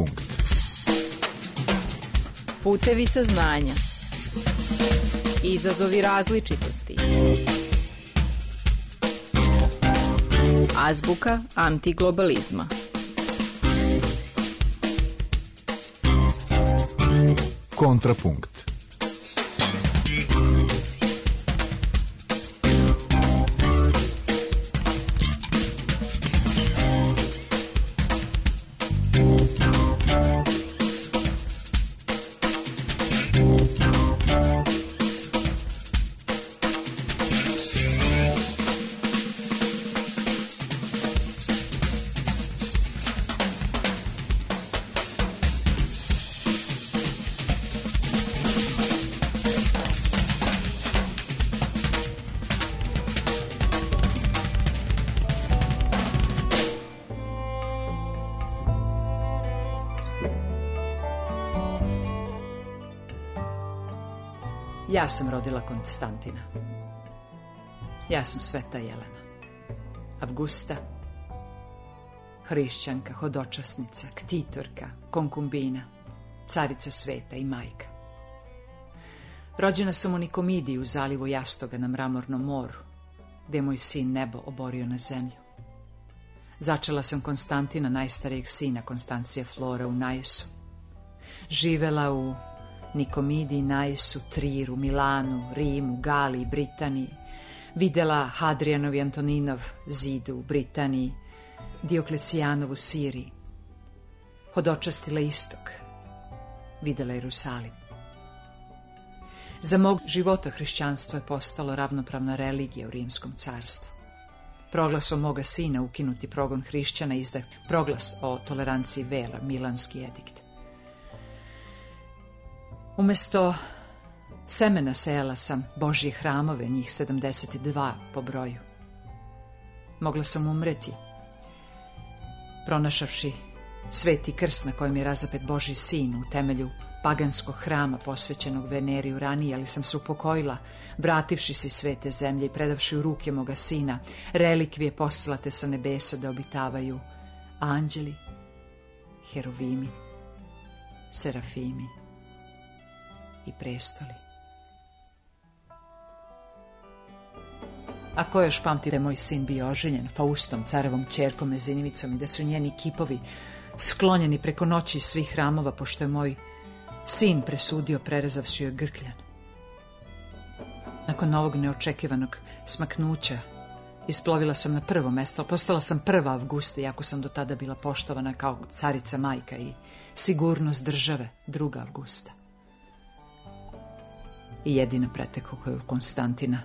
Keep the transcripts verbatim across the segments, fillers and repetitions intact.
Kontrapunkt. Putevi saznanja. Izazovi različitosti. Azbuka antiglobalizma. Kontrapunkt. Ja sam rodila Konstantina. Ja sam Sveta Jelena. Avgusta, hrišćanka, hodočasnica, ktitorka, konkumbina, carica sveta i majka. Rođena sam u Nikomidiji u zalivu Jastoga na Mramornom moru, gde je moj sin nebo oborio na zemlju. Začela sam Konstantina, najstarijeg sina Konstancije Flore, u Najsu. Živela u Nikomidiji, Najsu, Triru, Milanu, Rimu, Galiji, Britaniji. Videla Hadrijanov i Antoninov zid u Britaniji, Dioklecijanov u Siriji. Hodočastila istok. Videla Jerusalim. Za mog života hrišćanstvo je postalo ravnopravna religija u Rimskom carstvu. Proglasom moga sina ukinuti progon hrišćana izdah proglas o toleranciji vera, Milanski edikt. Umesto semena sejala sam Božje hramove, njih sedamdeset dva po broju. Mogla sam umreti, pronašavši sveti krst na kojem je razapet Božji sin u temelju paganskog hrama posvećenog Veneri Uraniji, ali sam se upokojila, vrativši se iz svete zemlje i predavši u ruke moga sina relikvije poslate sa nebesa da obitavaju anđeli, herovimi, serafimi i prestoli. A ko još pamti da je moj sin bio oženjen Faustom, carevom ćerkom Mezinivicom, i da su njeni kipovi sklonjeni preko noći iz svih hramova, pošto je moj sin presudio prerezavši joj grkljan. Nakon ovog neočekivanog smaknuća isplovila sam na prvo mesto, postala sam prva Avgusta, iako sam do tada bila poštovana kao carica majka i sigurnost države, druga Avgusta. I jedina preteko koju Konstantina,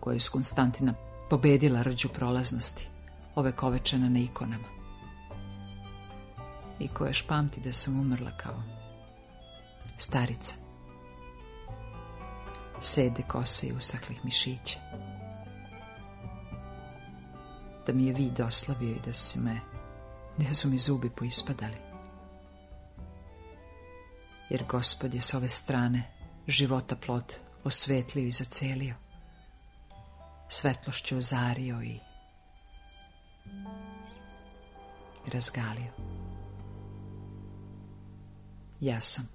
koju je s Konstantina pobedila rđu prolaznosti, ovekovečena na ikonama. I koja još pamti da sam umrla kao starica, sede kose i usahlih mišića. Da mi je vid oslavio i da su me, da su mi zubi poispadali. Jer Gospod je s ove strane života plod osvetlio i zacelio, svetlošću ozario i razgalio. Ja sam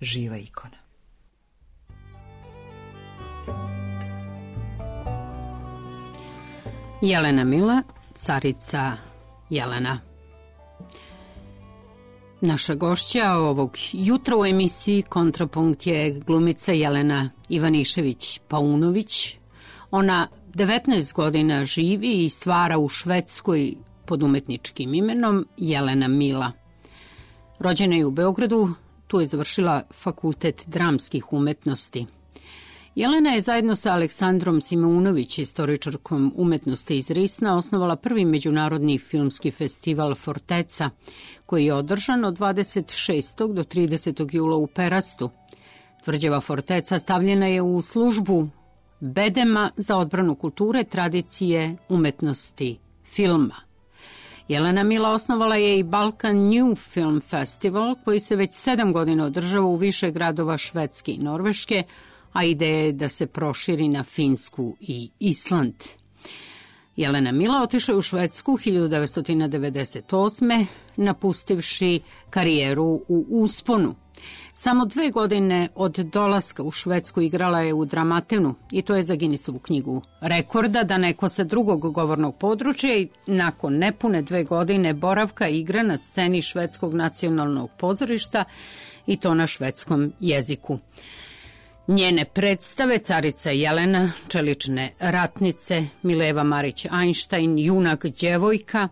živa ikona. Jelena Mila, carica Jelena. Naša gošća ovog jutra u emisiji Kontrapunkt je glumica Jelena Ivanišević-Paunović. Ona devetnaest godina živi i stvara u Švedskoj pod umetničkim imenom Jelena Mila. Rođena je u Beogradu, tu je završila Fakultet dramskih umetnosti. Jelena je zajedno sa Aleksandrom Simeunović, istoričarkom umetnosti iz Risna, osnovala prvi međunarodni filmski festival Forteca, koji je održan od dvadeset šestog do tridesetog jula u Perastu. Tvrđava Forteca stavljena je u službu bedema za odbranu kulture, tradicije, umetnosti, filma. Jelena Mila osnovala je i Balkan New Film Festival, koji se već sedam godina održava u više gradova Švedske i Norveške, a ideja je da se proširi na Finsku i Island. Jelena Mila otišla je u Švedsku hiljadu devetsto devedeset osme napustivši karijeru u usponu. Samo dve godine od dolaska u Švedsku igrala je u Dramatenu i to je za Guinnessovu knjigu rekorda da neko sa drugog govornog područja i nakon nepune dve godine boravka igra na sceni Švedskog nacionalnog pozorišta i to na švedskom jeziku. Njene predstave Carica Jelena, Čelične ratnice, Mileva Marić-Einstein, Junak djevojka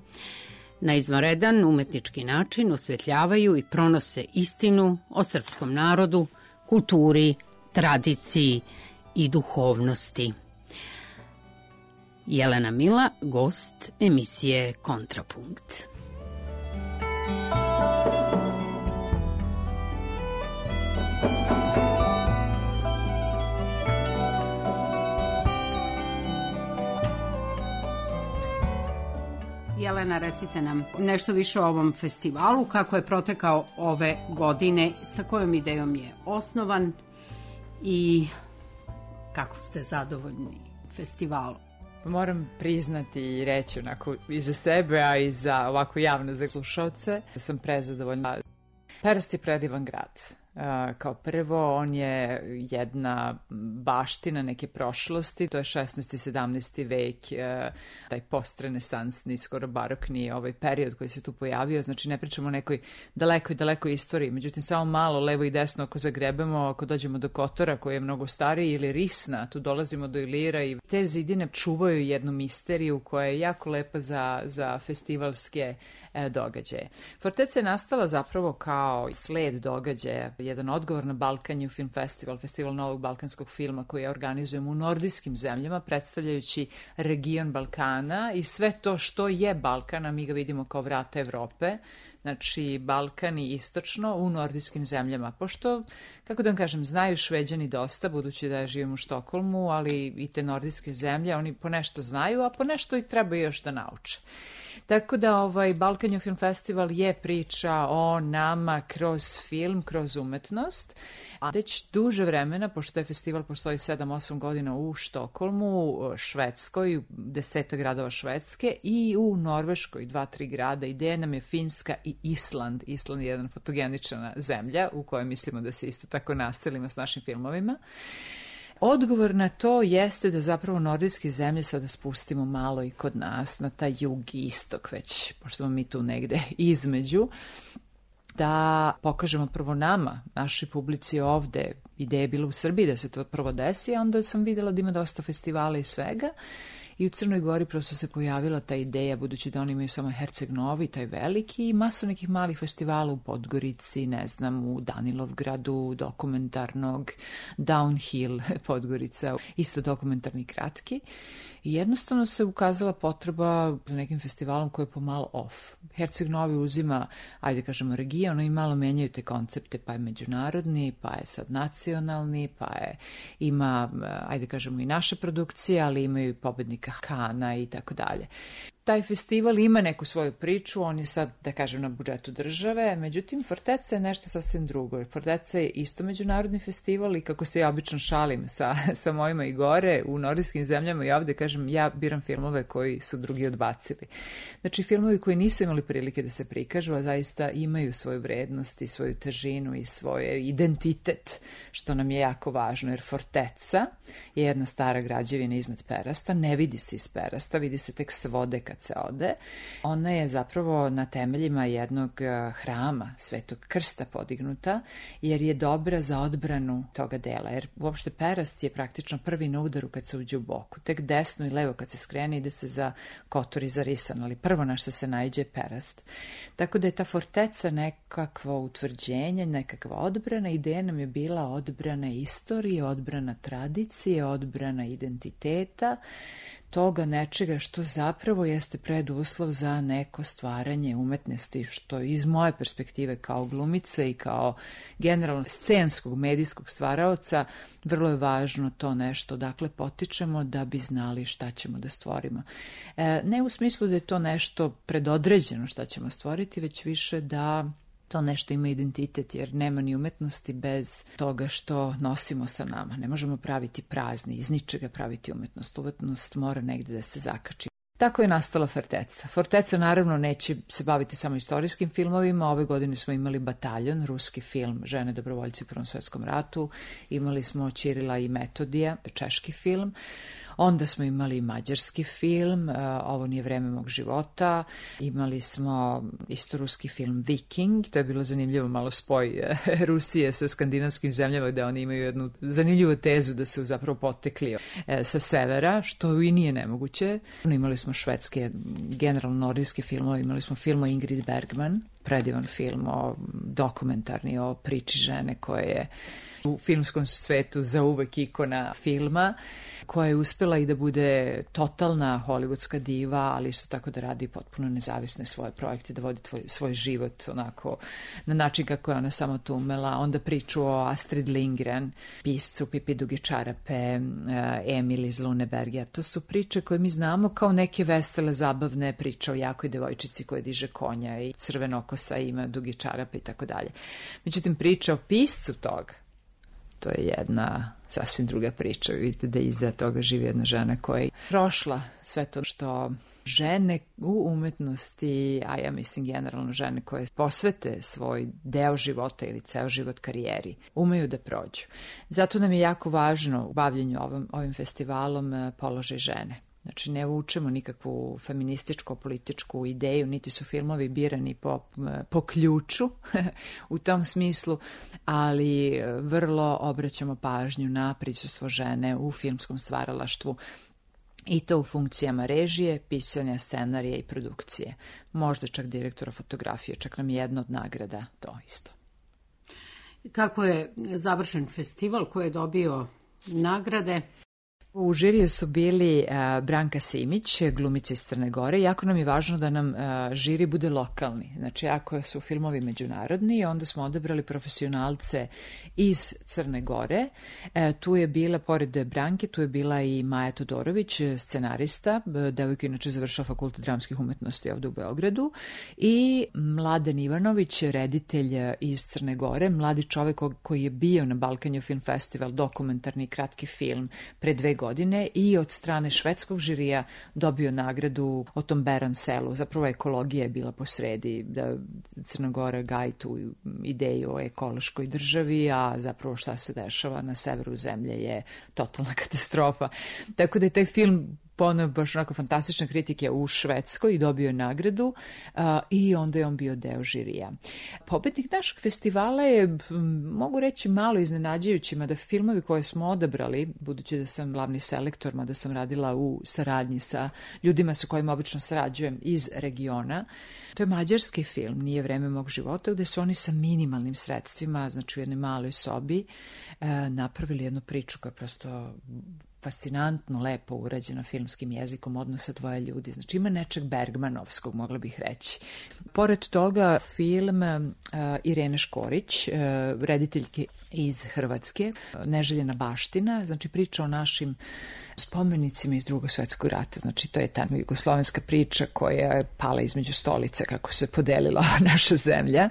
na izvanredan umetnički način osvetljavaju i pronose istinu o srpskom narodu, kulturi, tradiciji i duhovnosti. Jelena Mila, gost emisije Kontrapunkt. Jelena, recite nam nešto više o ovom festivalu, kako je protekao ove godine, sa kojom idejom je osnovan i kako ste zadovoljni festivalom? Moram priznati i reći onako i za sebe, a i za ovako javno za slušalce, da sam prezadovoljna. Perast je predivan grad. Uh, kao prvo, on je jedna baština neke prošlosti, to je šesnaesti. sedamnaesti. vek, uh, taj postrenesansni, skoro barokni ovaj period koji se tu pojavio, znači ne pričamo o nekoj dalekoj, dalekoj istoriji, međutim samo malo levo i desno ako zagrebemo, ako dođemo do Kotora koji je mnogo stariji ili Risna, tu dolazimo do Ilira i te zidine čuvaju jednu misteriju koja je jako lepa za, za festivalske e, događaje. Forteca je nastala zapravo kao sled događaja, jedan odgovor na Balkan Film Festival, festival novog balkanskog filma koji organizujemo u nordijskim zemljama, predstavljajući region Balkana i sve to što je Balkan, a mi ga vidimo kao vrata Evrope, znači Balkan i istočno u nordijskim zemljama. Pošto, kako da vam kažem, znaju Šveđani dosta, budući da ja živim u Štokholmu, ali i te nordijske zemlje, oni po nešto znaju, a po nešto i treba još da nauče. Tako da ovaj Balkan Film Festival je priča o nama kroz film, kroz umetnost, a već duže vremena, pošto je festival postoji sedam osam godina u Štokholmu, Švedskoj, deseta gradova Švedske i u Norveškoj, dva tri grada. Ideja nam je Finska i Island. Island je jedan fotogenična zemlja u kojoj mislimo da se isto tako naselimo s našim filmovima. Odgovor na to jeste da zapravo nordijske zemlje sada spustimo malo i kod nas, na taj jug i istok već, pošto smo mi tu negde između, da pokažemo prvo nama, našoj publici ovde. Ideja je bila u Srbiji da se to prvo desi, a onda sam videla da ima dosta festivala i svega. I u Crnoj Gori prosto se pojavila ta ideja, budući da oni imaju samo Herceg Novi, taj veliki, i masu nekih malih festivala u Podgorici, ne znam, u Danilovgradu, dokumentarnog, Downhill, Podgorica, isto dokumentarni kratki. I jednostavno se ukazala potreba za nekim festivalom koji je pomalo off. Herceg Novi uzima, ajde kažemo, region i malo menjaju te koncepte, pa je međunarodni, pa je sad nacionalni, pa je, ima, ajde kažemo, i naše produkcije, ali imaju i pobednika Kana i tako dalje. Taj festival ima neku svoju priču, on je sad, da kažem, na budžetu države, međutim, Forteca je nešto sasvim drugo. Forteca je isto međunarodni festival i kako se ja obično šalim sa, sa mojima i gore, u nordijskim zemljama i ovde, kažem, ja biram filmove koji su drugi odbacili. Znači, filmovi koji nisu imali prilike da se prikažu, a zaista imaju svoju vrednost i svoju težinu i svoj identitet, što nam je jako važno, jer Forteca je jedna stara građevina iznad Perasta, ne vidi se iz Perasta, vidi se tek s vode kad se ode. Ona je zapravo na temeljima jednog hrama Svetog Krsta podignuta, jer je dobra za odbranu toga dela, jer uopšte Perast je praktično prvi na udaru kad se uđe u boku. Tek desno i levo kad se skrene ide se za Kotor i za Risan, ali prvo na što se naiđe je Perast. Tako da je ta Forteca nekakvo utvrđenje, nekakva odbrana. Ideja nam je bila odbrana istorije, odbrana tradicije, odbrana identiteta, toga nečega što zapravo jeste preduslov za neko stvaranje umetnosti, što iz moje perspektive kao glumice i kao generalno scenskog medijskog stvaraoca vrlo je važno to nešto. Dakle, potičemo da bi znali šta ćemo da stvorimo. E, ne u smislu da je to nešto predodređeno šta ćemo stvoriti, već više da to nešto ima identitet, jer nema ni umetnosti bez toga što nosimo sa nama. Ne možemo praviti prazni, iz ničega praviti umetnost. Umetnost mora negde da se zakači. Tako je nastala Forteca. Forteca naravno neće se baviti samo istorijskim filmovima. Ove godine smo imali Bataljon, ruski film Žene dobrovoljci u Prvom svjetskom ratu. Imali smo Ćirila i Metodija, češki film. Onda smo imali mađarski film, Ovo nije vreme mog života. Imali smo isto ruski film Viking, to je bilo zanimljivo, malo spoj Rusije sa skandinavskim zemljama, gde oni imaju jednu zanimljivu tezu da su zapravo potekli sa severa, što i nije nemoguće. Imali smo švedske, generalno nordijske filmove, imali smo film o Ingrid Bergman, predivan film, o dokumentarni o priči žene koja je u filmskom svetu zauvek ikona filma, koja je uspela i da bude totalna hollywoodska diva, ali isto tako da radi potpuno nezavisne svoje projekte, da vodi tvoj, svoj život onako na način kako je ona samo to umela. Onda priču o Astrid Lindgren, piscu Pipi duge čarape, Emil iz Luneberga. To su priče koje mi znamo kao neke vesele, zabavne priče o jakoj devojčici koja diže konja i crvenokosa i ima duge čarape i tako dalje. Međutim, priča o piscu toga, to je jedna sasvim druga priča. Vidite da iza toga živi jedna žena koja je prošla sve to što žene u umetnosti, a ja mislim generalno žene koje posvete svoj deo života ili ceo život karijeri, umeju da prođu. Zato nam je jako važno u bavljenju ovim, ovim festivalom položaj žene. Znači, ne vučemo nikakvu feminističko-političku ideju, niti su filmovi birani po, po ključu u tom smislu, ali vrlo obraćamo pažnju na prisustvo žene u filmskom stvaralaštvu i to u funkcijama režije, pisanja, scenarija i produkcije. Možda čak direktora fotografije, čak nam je jedna od nagrada to isto. Kako je završen festival koji je dobio nagrade? U žiriju su bili uh, Branka Simić, glumica iz Crne Gore. Jako nam je važno da nam uh, žiri bude lokalni. Znači, ako su filmovi međunarodni, onda smo odabrali profesionalce iz Crne Gore. Uh, tu je bila, pored Branke, tu je bila i Maja Todorović, scenarista, devojka inače završila Fakultet dramskih umetnosti ovde u Beogradu, i Mladen Ivanović, reditelj iz Crne Gore, mladi čovek koji je bio na Balkan Film Festival, dokumentarni kratki film pre dve godine, godine i od strane švedskog žirija dobio nagradu o tom Beran selu. Zapravo ekologija je bila posredi, da Crna Gora gaji tu ideju o ekološkoj državi, a zapravo šta se dešava na severu zemlje je totalna katastrofa. Tako da je taj film ponovo baš onako fantastične kritike u Švedskoj i dobio je nagradu uh, i onda je on bio deo žirija. Pobednik našeg festivala je, mogu reći, malo iznenađajući, mada filmovi koje smo odabrali, budući da sam glavni selektor, mada sam radila u saradnji sa ljudima sa kojima obično sarađujem iz regiona, to je mađarski film, Nije vreme mog života, gde su oni sa minimalnim sredstvima, znači u jednoj maloj sobi, uh, napravili jednu priču koja je prosto fascinantno, lepo urađeno filmskim jezikom odnosa dvoje ljudi. Znači ima nečeg Bergmanovskog, mogla bih reći. Pored toga film uh, Irene Škorić, uh, rediteljke iz Hrvatske, Neželjena baština, znači priča o našim spomenicima iz Drugog svjetskog rata. Znači to je ta jugoslovenska priča koja je pala između stolice kako se podelila naša zemlja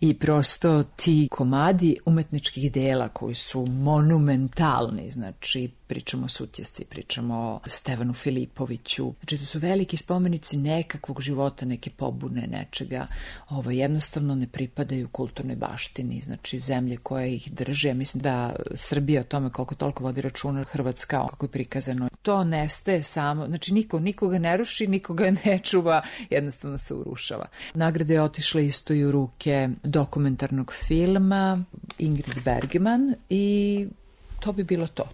i prosto ti komadi umetničkih dela koji su monumentalni, znači pričamo o Sutjesci, pričamo o Stevanu Filipoviću. Znači to su veliki spomenici nekakvog života, neke pobune, nečega. Ovo jednostavno ne pripadaju kulturnoj baštini, znači zemlje koje ih drže. Ja mislim da Srbija o tome koliko toliko vodi računa, Hrvatska kako je prikazano. To nestaje samo, znači niko nikoga ne ruši, nikoga ne čuva, jednostavno se urušava. Nagrade je otišla isto i u ruke dokumentarnog filma Ingrid Bergman i to bi bilo to.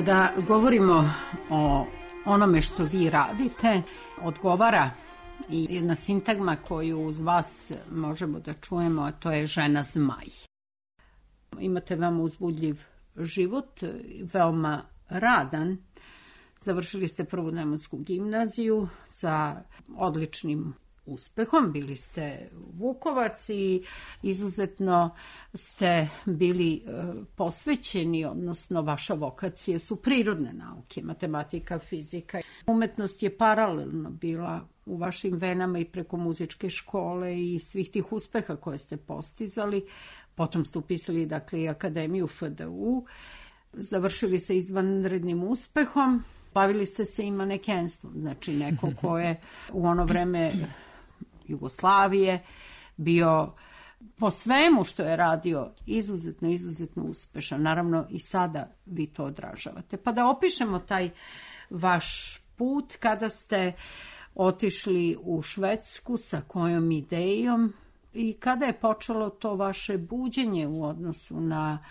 Kada govorimo o onome što vi radite, odgovara i jedna sintagma koju uz vas možemo da čujemo, a to je žena zmaj. Imate veoma uzbudljiv život, veoma radan. Završili ste prvu demonsku gimnaziju sa odličnim uspehom, bili ste Vukovac i izuzetno ste bili posvećeni, odnosno vaša vokacija su prirodne nauke, matematika, fizika. Umetnost je paralelno bila u vašim venama i preko muzičke škole i svih tih uspeha koje ste postizali. Potom ste upisali, dakle, i Akademiju F D U, završili se izvanrednim uspehom, bavili ste se i manekenstvom, znači neko ko je u ono vreme Jugoslavije bio po svemu što je radio izuzetno, izuzetno uspešan. Naravno i sada vi to odražavate. Pa da opišemo taj vaš put kada ste otišli u Švedsku, sa kojom idejom i kada je počelo to vaše buđenje u odnosu na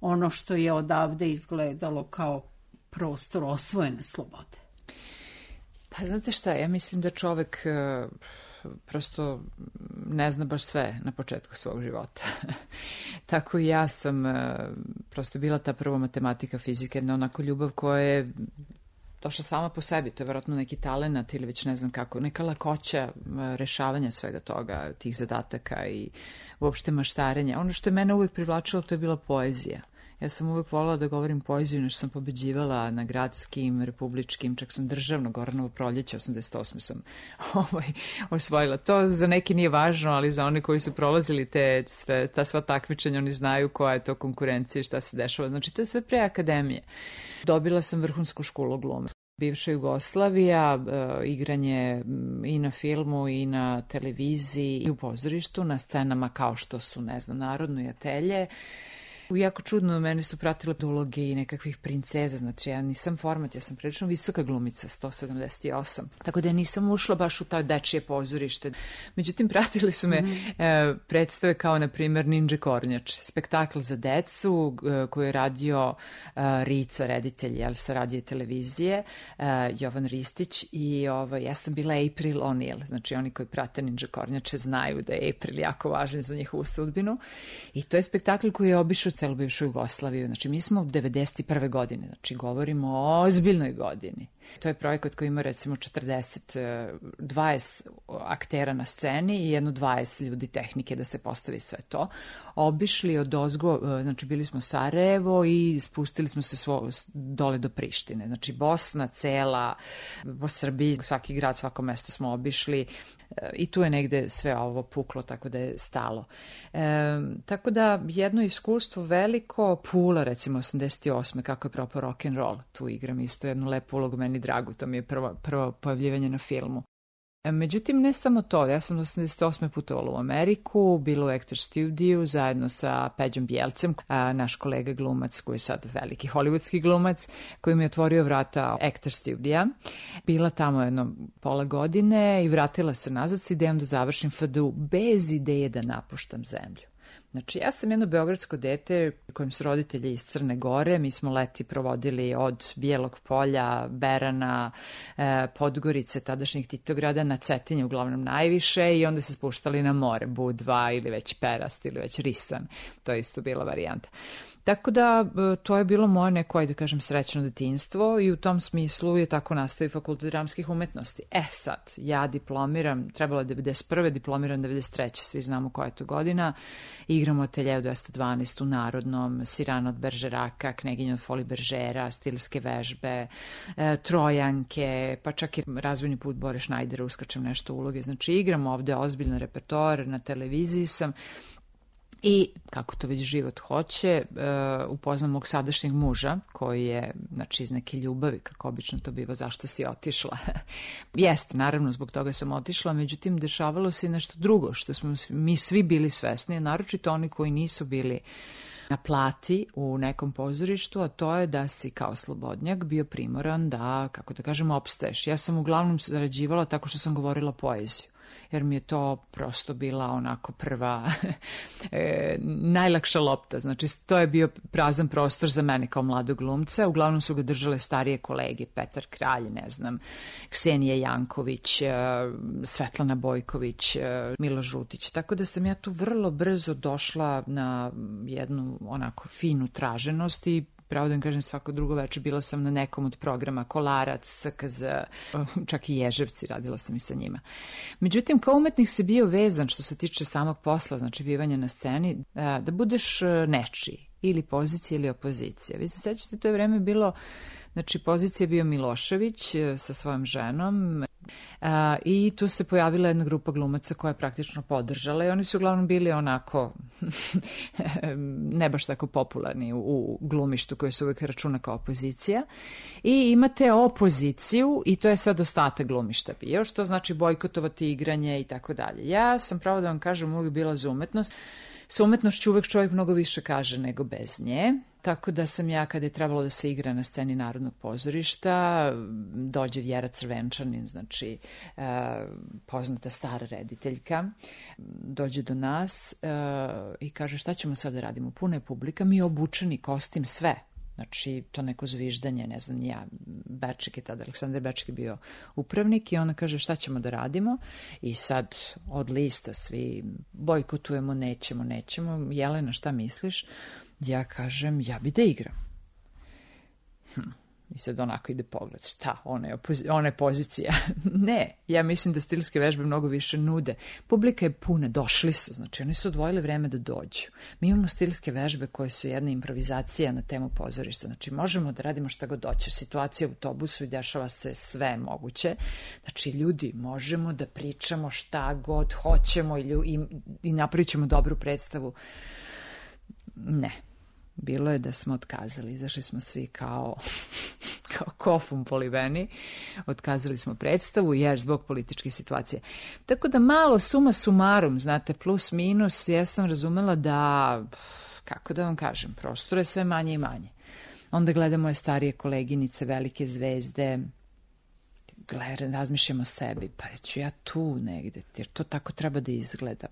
ono što je odavde izgledalo kao prostor osvojene slobode. Pa znate šta, ja mislim da čovek uh, prosto ne zna baš sve na početku svog života. Tako i ja sam uh, prosto bila ta prva matematika, fizika, jedna onako ljubav koja je došla sama po sebi, to je vjerojatno neki talenat ili već ne znam kako, neka lakoća rešavanja svega toga, tih zadataka i uopšte maštarenja. Ono što je mene uvijek privlačilo, to je bila poezija. Ja sam uvijek voljela da govorim poeziju, nešto sam pobeđivala na gradskim, republičkim, čak sam državno Goranovo proljeće, osamdeset osme sam ovaj, osvojila. To za neki nije važno, ali za one koji su prolazili te, sve, ta sva takmičenja, oni znaju koja je to konkurencija i šta se dešava. Znači, to je sve pre akademije. Dobila sam vrhunsku školu glume. Bivša Jugoslavija, e, igranje i na filmu i na televiziji i u pozorištu, na scenama kao što su, ne znam, Narodno i Atelje. Jako čudno, mene su pratile uloge i nekakvih princeza, znači ja nisam format, ja sam prilično visoka glumica, sto sedamdeset osam, tako da ja nisam ušla baš u to dečije pozorište. Međutim, pratili su me mm-hmm. e, predstave kao, na primjer, Ninja Kornjač, spektakl za decu e, koji je radio e, Rica, reditelj, jel, sa radije televizije, e, Jovan Ristić i ovaj, ja sam bila April O'Neil, znači oni koji prate Ninja Kornjače znaju da je April jako važan za njihovu sudbinu i to je spektakl koji je obišao celu bivšu Jugoslaviju. Znači, mi smo u devedeset prve godine, znači govorimo o ozbiljnoj godini. To je projekat koji ima recimo četrdeset, dvadeset aktera na sceni i jedno dvadeset ljudi tehnike da se postavi sve to. Obišli od ozgo, znači bili smo Sarajevo i spustili smo se svo, dole do Prištine. Znači Bosna cela, po Srbiji, svaki grad, svako mesto smo obišli i tu je negde sve ovo puklo, tako da je stalo. E, tako da jedno iskustvo veliko, Pula recimo osamdeset osme kako je propao rock'n'roll, tu igram isto jednu lepu ulogu, meni dragu, to mi je prvo, prvo pojavljivanje na filmu. Međutim, ne samo to, ja sam osamdeset osme putovala u Ameriku, bila u Actor Studiju zajedno sa Peđom Bjelcem, a, naš kolega glumac koji je sad veliki hollywoodski glumac, koji mi je otvorio vrata Actor Studija. Bila tamo jedno pola godine i vratila se nazad s idejom da završim F D U bez ideje da napuštam zemlju. Znači, ja sam jedno beogradsko dete kojim su roditelji iz Crne Gore, mi smo leti provodili od Bijelog Polja, Berana, eh, Podgorice, tadašnjih Titograda, na Cetinje uglavnom najviše i onda se spuštali na more, Budva ili već Perast ili već Risan, to je isto bila varijanta. Tako da to je bilo moje neko, da kažem, srećno detinjstvo i u tom smislu je tako nastavio Fakultet dramskih umetnosti. E sad, ja diplomiram, trebalo je devedeset prve, diplomiram devedeset treće, svi znamo koja je to godina, igram u Ateljeu dvesta dvanaest u Narodnom, Sirana od Beržeraka, Kneginja od Foli Beržera, stilske vežbe, e, Trojanke, pa čak i Razvojni put Bore Šnajdera, uskačem nešto uloge. Znači igram ovde ozbiljan repertoar, na televiziji sam. I, kako to već život hoće, uh, upoznam mog sadašnjeg muža, koji je, znači, iz neke ljubavi, kako obično to biva, zašto si otišla. Jeste, naravno, zbog toga sam otišla, međutim, dešavalo se nešto drugo, što smo mi svi bili svesni, naročito oni koji nisu bili na plati u nekom pozorištu, a to je da si kao slobodnjak bio primoran da, kako da kažem, opstaješ. Ja sam uglavnom zarađivala tako što sam govorila poeziju. jer mi je to prosto bila onako prva e, najlakša lopta. Znači, to je bio prazan prostor za mene kao mladog glumca. Uglavnom su ga držale starije kolege, Petar Kralj, ne znam, Ksenija Janković, e, Svetlana Bojković, e, Milo Žutić. Tako da sam ja tu vrlo brzo došla na jednu onako finu traženost i pravo da vam kažem, svako drugo večer bila sam na nekom od programa Kolarac, S K Z, čak i Ježevci, radila sam i sa njima. Međutim, kao umetnik se bio vezan što se tiče samog posla, znači bivanja na sceni, da budeš nečiji, ili pozicija ili opozicija. Vi se sećate, to je vreme bilo, znači pozicija je bio Milošević sa svojom ženom, a, i tu se pojavila jedna grupa glumaca koja je praktično podržala i oni su uglavnom bili onako ne baš tako popularni u, u glumištu koje se uvek računa kao opozicija. I imate opoziciju i to je sad ostatak glumišta bio, što znači bojkotovati igranje i tako dalje. Ja sam, pravo da vam kažem, uvijek bila za umetnost. Sa umetnošću uvek čovjek mnogo više kaže nego bez nje, tako da sam ja, kada je trebalo da se igra na sceni Narodnog pozorišta, dođe Vjera Crvenčanin, znači e, poznata stara rediteljka, dođe do nas e, i kaže šta ćemo sad da radimo, puna je publika, mi obučeni kostim, sve. Znači, to neko zviždanje, ne znam, ja, Bečik je tada, Aleksandar Bečik je bio upravnik i ona kaže šta ćemo da radimo i sad od lista svi bojkotujemo, nećemo, nećemo. Jelena, šta misliš? Ja kažem, ja bi da igram. Hm. I sad onako ide pogled, šta, ona je, opozi- ona je pozicija. Ne, ja mislim da stilske vežbe mnogo više nude. Publika je puna, došli su, znači oni su odvojili vreme da dođu. Mi imamo stilske vežbe koje su jedna improvizacija na temu pozorišta, znači možemo da radimo šta god doće. Situacija u autobusu i dešava se sve moguće. Znači ljudi, možemo da pričamo šta god hoćemo i, i, i napravit ćemo dobru predstavu. Ne. Bilo je da smo otkazali, izašli smo svi kao, kao kofum poliveni, otkazali smo predstavu jer zbog političke situacije. Tako da malo suma sumarum, znate, plus minus, ja sam razumela da, kako da vam kažem, prostor je sve manje i manje. Onda gledamo moje starije koleginice, velike zvezde, gledam, razmišljamo o sebi, pa ću ja tu negde, jer to tako treba da izgleda.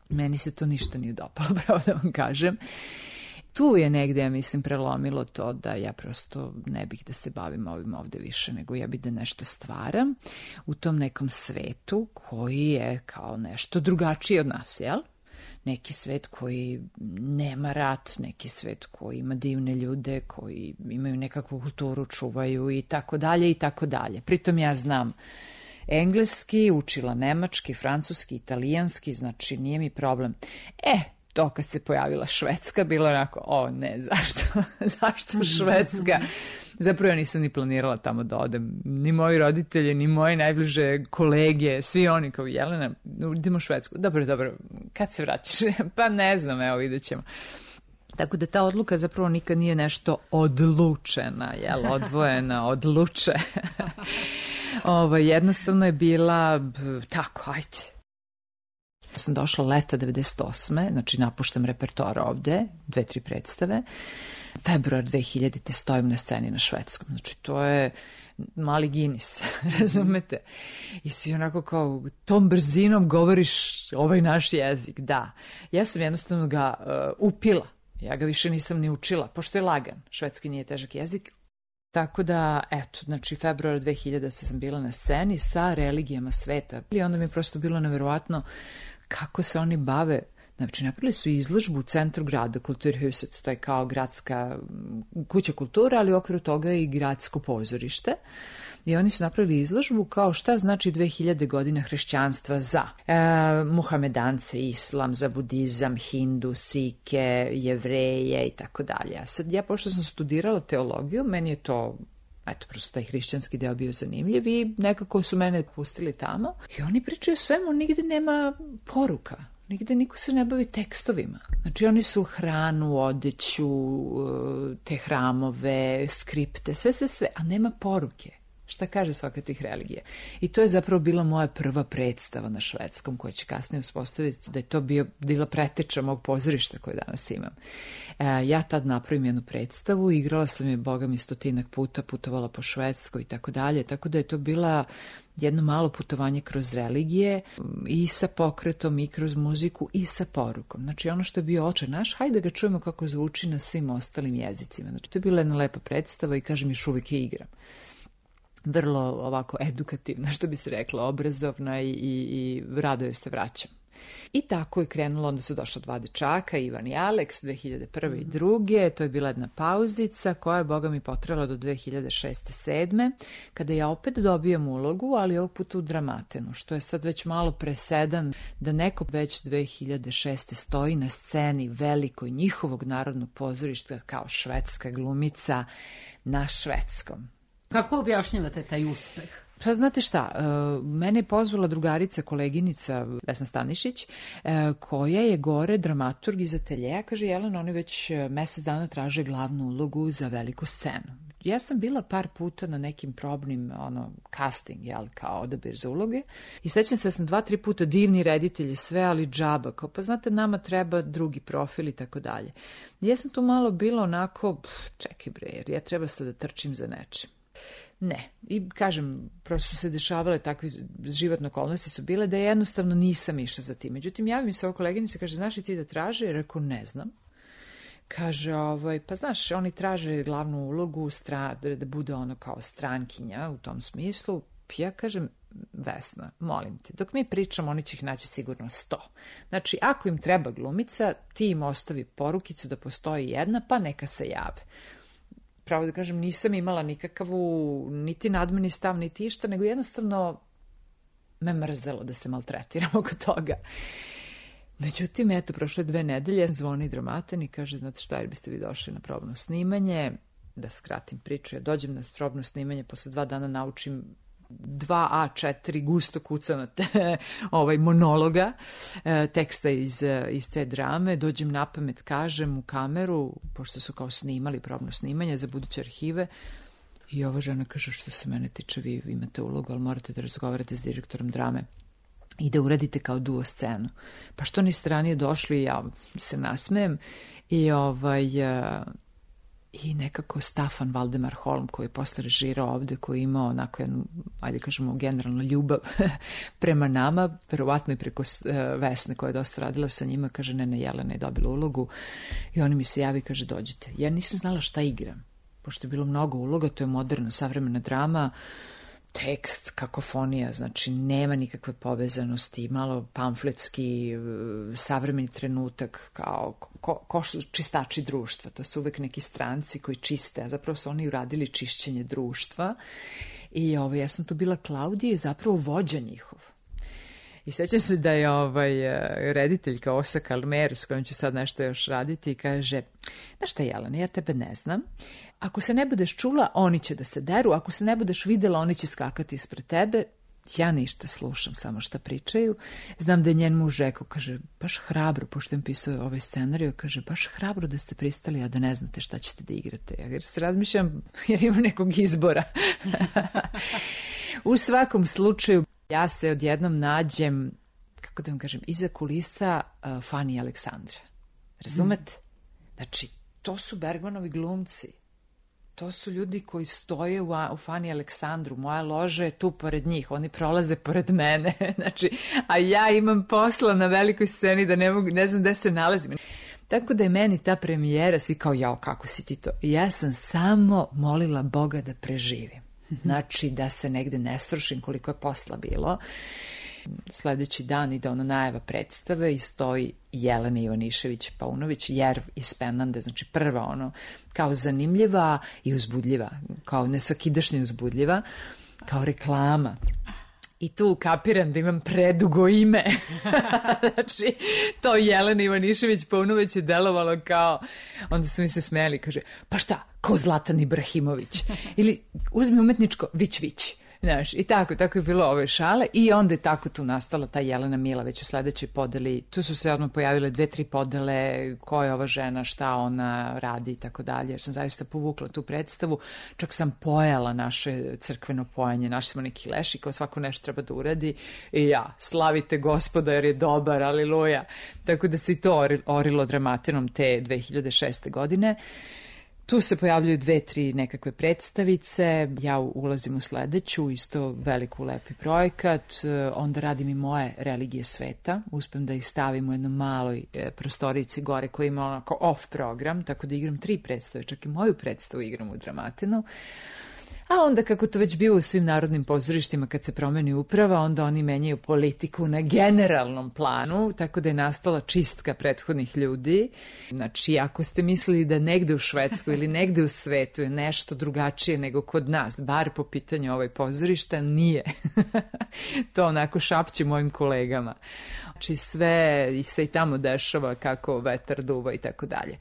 Meni se to ništa nije dopalo, pravo da vam kažem. Tu je negde, ja mislim, prelomilo to da ja prosto ne bih da se bavim ovim ovde više, nego ja bih da nešto stvaram u tom nekom svetu koji je kao nešto drugačiji od nas, jel? Neki svet koji nema rat, neki svet koji ima divne ljude, koji imaju nekakvu kulturu, čuvaju i tako dalje i tako dalje. Pritom ja znam engleski, učila nemački, francuski, italijanski, znači nije mi problem. E, to kad se pojavila Švedska, bilo onako, o ne, zašto, zašto Švedska? Zapravo ja nisam ni planirala tamo da odem. Ni moji roditelji, ni moje najbliže kolege, svi oni kao Jelena, idemo u Švedsku. Dobro, dobro, kad se vraćaš? Pa ne znam, evo, vidjet ćemo. Tako da ta odluka zapravo nikad nije nešto odlučena, jel, odvojena, odluče. Ovo, jednostavno je bila tako, ajde. Ja sam došla leta devedeset osme, znači napuštam repertoar ovde, dve, tri predstave. Februar dve hiljadite stojim na sceni na švedskom, znači to je mali Guinness, razumete? I svi onako kao tom brzinom govoriš ovaj naš jezik, da. Ja sam jednostavno ga uh, upila, ja ga više nisam ni učila, pošto je lagan, švedski nije težak jezik. Tako da, eto, znači februara dve hiljade sam bila na sceni sa religijama sveta. I onda mi je prosto bilo neverovatno kako se oni bave. Znači, napravili su izložbu u centru grada, Kulturhuset, to je kao gradska kuća kultura, ali u okviru toga i gradsko pozorište. I oni su napravili izložbu kao šta znači dve hiljade godina hrišćanstva za e, muhamedance, islam, za budizam, hindu, sike, jevreje i tako dalje. A sad ja, pošto sam studirala teologiju, meni je to, eto, prosto taj hrišćanski deo bio zanimljiv i nekako su mene pustili tamo. I oni pričaju o svemu, nigde nema poruka. Nigde niko se ne bavi tekstovima. Znači oni su hranu, odeću, te hramove, skripte, sve, sve, sve, a nema poruke. Šta kaže svaka tih religija? I to je zapravo bila moja prva predstava na švedskom, koja će kasnije uspostaviti da je to bio, bila preteča mog pozorišta koje danas imam. E, ja tad napravim jednu predstavu, igrala sam je, boga mi, stotinak puta, putovala po Švedskoj i tako dalje, tako da je to bila jedno malo putovanje kroz religije i sa pokretom i kroz muziku i sa porukom. Znači ono što je bio Oče naš, hajde da ga čujemo kako zvuči na svim ostalim jezicima. Znači to je bila jedna lepa predstava i kažem još uvijek je igram. Vrlo ovako edukativna, što bi se rekla, obrazovna i, i, i rado je se vraćam. I tako je krenulo, onda su došla dva dečaka, Ivan i Aleks, dve hiljade prve i druge. To je bila jedna pauzica koja je, boga mi, potrajala do dve hiljade šeste sedme, kada ja opet dobijam ulogu, ali ovog puta u Dramatenu, što je sad već malo presedan da neko već dve hiljade šeste stoji na sceni velikoj njihovog narodnog pozorišta kao švedska glumica na švedskom. Kako objašnjavate taj uspeh? Pa znate šta, mene je pozvala drugarica, koleginica Vesna Stanišić, koja je gore dramaturg iz ateljeja. Kaže, Jelena, oni već mesec dana traže glavnu ulogu za veliku scenu. Ja sam bila par puta na nekim probnim ono, casting, jel, kao odabir za uloge. I sećam se da sam dva, tri puta divni reditelji, sve, ali džaba. Kao, pa znate, nama treba drugi profil i tako dalje. Ja sam tu malo bila onako, pff, čekaj bre, jer ja treba sad da trčim za nečim. Ne. I kažem, prosto su se dešavale takve životne okolnosti su bile da jednostavno nisam išla za tim. Međutim, javi mi se ova koleginica, kaže, znaš li ti da traže? Ja rekao, ne znam. Kaže, ovaj, pa znaš, oni traže glavnu ulogu, stra, da bude ono kao strankinja u tom smislu. Ja kažem, Vesna, molim te, dok mi pričamo, oni će ih naći sigurno sto. Znači, ako im treba glumica, ti im ostavi porukicu da postoji jedna, pa neka se jave. Pravo da kažem, nisam imala nikakavu niti nadmeni stav, niti išta, nego jednostavno me mrzelo da se maltretiram oko toga. Međutim, eto, prošle dve nedelje zvoni Dramaten i kaže, znate šta, jer biste vi došli na probno snimanje, da skratim priču, ja dođem na probno snimanje, posle dva dana naučim dva A četiri gusto kucanate ovaj monologa, e, teksta iz, iz te drame, dođem na pamet, kažem u kameru, pošto su kao snimali probno snimanje za buduće arhive, i ova žena kaže, što se mene tiče, vi imate ulogu, ali morate da razgovarate s direktorom drame i da uradite kao duo scenu. Pa što niste ranije došli, ja se nasmejem i ovaj... I nekako Stafan Valdemar Holm, koji je posle režirao ovde, koji je imao onako jednu, ajde kažemo, generalno ljubav prema nama, verovatno i preko Vesne koja je dosta radila sa njima, kaže, ne, ne, Jelena je dobila ulogu i oni mi se javi, kaže, dođite. Ja nisam znala šta igram, pošto je bilo mnogo uloga, to je moderna, savremena drama, tekst, kakofonija, znači nema nikakve povezanosti, malo pamfletski, savremeni trenutak, kao ko, ko su čistači društva, to su uvek neki stranci koji čiste, a zapravo su oni uradili čišćenje društva i ovaj, ja sam tu bila Klaudija i zapravo vođa njihov. I sećam se da je ovaj rediteljka Osa Kalmer, s kojom ću sad nešto još raditi, i kaže, znaš šta, Jelena, ja tebe ne znam. Ako se ne budeš čula, oni će da se deru. Ako se ne budeš videla, oni će skakati ispred tebe. Ja ništa slušam, samo šta pričaju. Znam da je njen muž rekao, kaže, baš hrabro, pošto im pisao ovaj scenarij, kaže, baš hrabro da ste pristali, a da ne znate šta ćete da igrate. Jer se razmišljam, jer imam nekog izbora. U svakom slučaju, ja se odjednom nađem, kako da vam kažem, iza kulisa uh, Fani i Aleksandra. Razumete? Mm. Znači, to su Bergmanovi glumci. To su ljudi koji stoje u, u Fani i Aleksandru. Moja loža je tu pored njih. Oni prolaze pored mene. Znači, a ja imam posla na velikoj sceni da ne, mogu, ne znam gde se nalazim. Tako da je meni ta premijera, svi kao, jao, kako si ti to? I ja sam samo molila Boga da preživim. Znači, da se negde ne srušim koliko je posla bilo. Sledeći dan ide ono najava predstave i stoji Jelena Ivanišević-Paunović, Jerv iz Penande, znači prva ono, kao zanimljiva i uzbudljiva, kao nesvakidašnja uzbudljiva, kao reklama. I tu kapiram da imam predugo ime. Znači, to Jelena Ivanišević-Paunović je delovalo kao, onda su mi se smeli, kaže, pa šta, ko Zlatan Ibrahimović? Ili uzmi umetničko, Vić Vić. Znaš, i tako, tako je bilo ove šale i onda je tako tu nastala ta Jelena Mila već u sledećoj podeli. Tu su se odmah pojavile dve, tri podele, ko je ova žena, šta ona radi i tako dalje, jer sam zaista povukla tu predstavu. Čak sam pojala naše crkveno pojanje, našli smo neki leš i kao svako nešto treba da uradi i ja, slavite Gospoda jer je dobar, aleluja. Tako da se i to orilo Dramatinom te dve hiljade šeste godine. Tu se pojavljaju dve, tri nekakve predstavice, ja ulazim u sledeću, isto veliku lepi projekat, onda radim i moje religije sveta, uspem da ih stavim u jednoj maloj prostorici gore koja ima onako off program, tako da igram tri predstave, čak i moju predstavu igram u Dramatinu. A onda kako to već bio u svim narodnim pozorištima kad se promeni uprava, onda oni menjaju politiku na generalnom planu, tako da je nastala čistka prethodnih ljudi. Znači, ako ste mislili da negde u Švedskoj ili negde u svetu je nešto drugačije nego kod nas, bar po pitanju ovaj pozorišta, nije. To onako šapće mojim kolegama. Znači, sve se i tamo dešava kako vetar duva i tako dalje.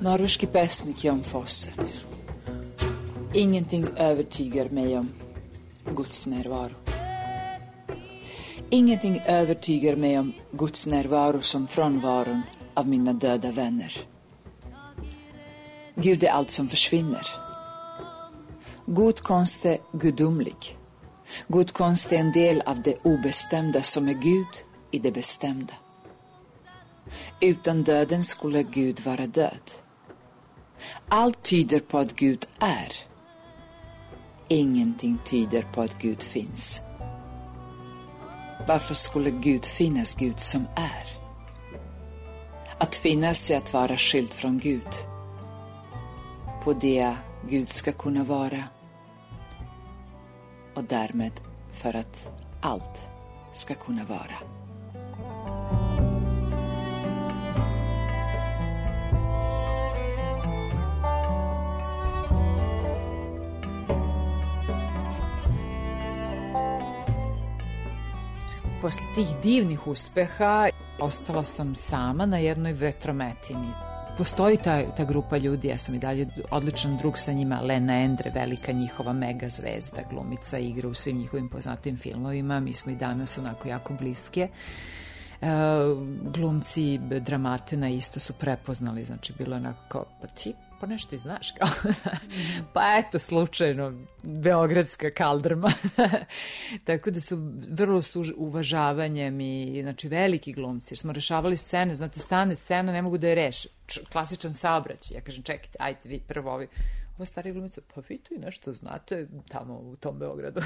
Norveški pesnik Jon Fosse. Ingenting övertygar mig om Guds närvaro. Ingenting övertygar mig om Guds närvaro som frånvaron av mina döda vänner. Gud är allt som försvinner. God konst är gudomlig. God konst är en del av det obestämda som är Gud i det bestämda. Utan döden skulle Gud vara död. Allt tyder på att Gud är. Ingenting tyder på att Gud finns. Varför skulle Gud finnas, Gud som är? Att finnas är att vara skild från Gud. På det Gud ska kunna vara. Och därmed för att allt ska kunna vara. Posle tih divnih uspeha ostala sam sama na jednoj vetrometini. Postoji ta, ta grupa ljudi, ja sam i dalje odličan drug sa njima, Lena Endre, velika njihova mega zvezda, glumica, igra u svim njihovim poznatim filmovima, mi smo i danas onako jako bliske. E, glumci Dramatina isto su prepoznali, znači bilo je onako kao, pa ti pa nešto i znaš kao, pa eto slučajno beogradska kaldrma. Tako da su vrlo su uvažavanjem i znači veliki glumci, jer smo rešavali scene, znate stane scena, ne mogu da je reše, klasičan saobraćaj, ja kažem čekajte, ajte vi prvo ovi, ova starija glumica, pa vi to i nešto znate tamo u tom Beogradu.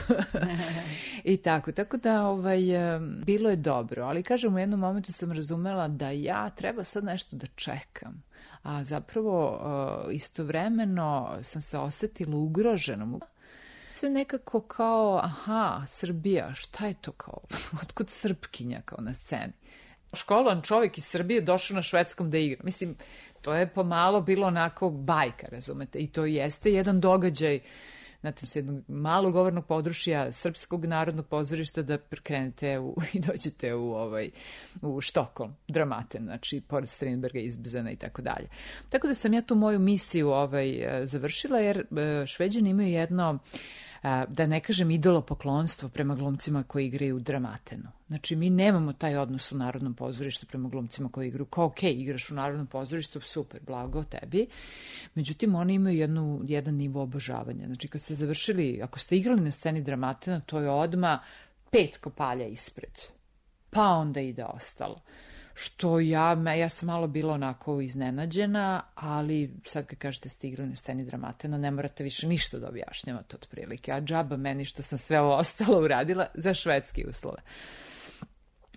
I tako, tako da ovaj, bilo je dobro, ali kažem, u jednom momentu sam razumela da ja treba sad nešto da čekam, a zapravo istovremeno sam se osetila ugroženom. Sve nekako kao, aha, Srbija, šta je to kao, otkud Srpkinja kao na sceni? Školovan čovjek iz Srbije došao na švedskom da igra. Mislim, to je pomalo bilo onako bajka, razumete, i to jeste jedan događaj, znate, s jednog malog govornog područja Srpskog narodnog pozorišta da krenete u, i dođete u, ovaj, u Štokholm, Dramaten, znači, pored Strindberga, Izbzena i tako dalje. Tako da sam ja tu moju misiju ovaj, završila, jer Šveđani imaju jedno, da ne kažem, idolopoklonstvo prema glumcima koji igraju u Dramatenu. Znači, mi nemamo taj odnos u Narodnom pozorištu prema glumcima koji igraju. Kao, ok, igraš u Narodnom pozorištu, super, blago tebi. Međutim, oni imaju jednu, jedan nivo obožavanja. Znači, kad ste završili, ako ste igrali na sceni Dramatena, to je odmah pet kopalja ispred. Pa onda ide ostalo. Što ja, ja sam malo bila onako iznenađena, ali sad kad kažete ste igrali na sceni Dramatena, ne morate više ništa da objašnjavate otprilike. A džaba meni što sam sve ovo ostalo uradila za švedski uslove.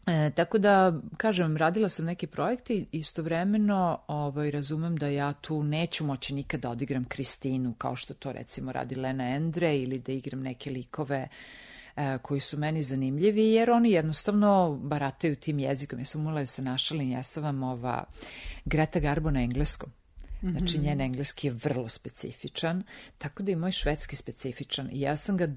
E, tako da, kažem, radila sam neki projekte i istovremeno ovaj, razumem da ja tu neću moći nikad da odigram Kristinu, kao što to recimo radi Lena Endre, ili da igram neke likove koji su meni zanimljivi, jer oni jednostavno barataju tim jezikom. Ja sam umela da se našalim, ja sam vam ova Greta Garbo na engleskom. Znači, njen engleski je vrlo specifičan, tako da i moj švedski specifičan. I ja sam ga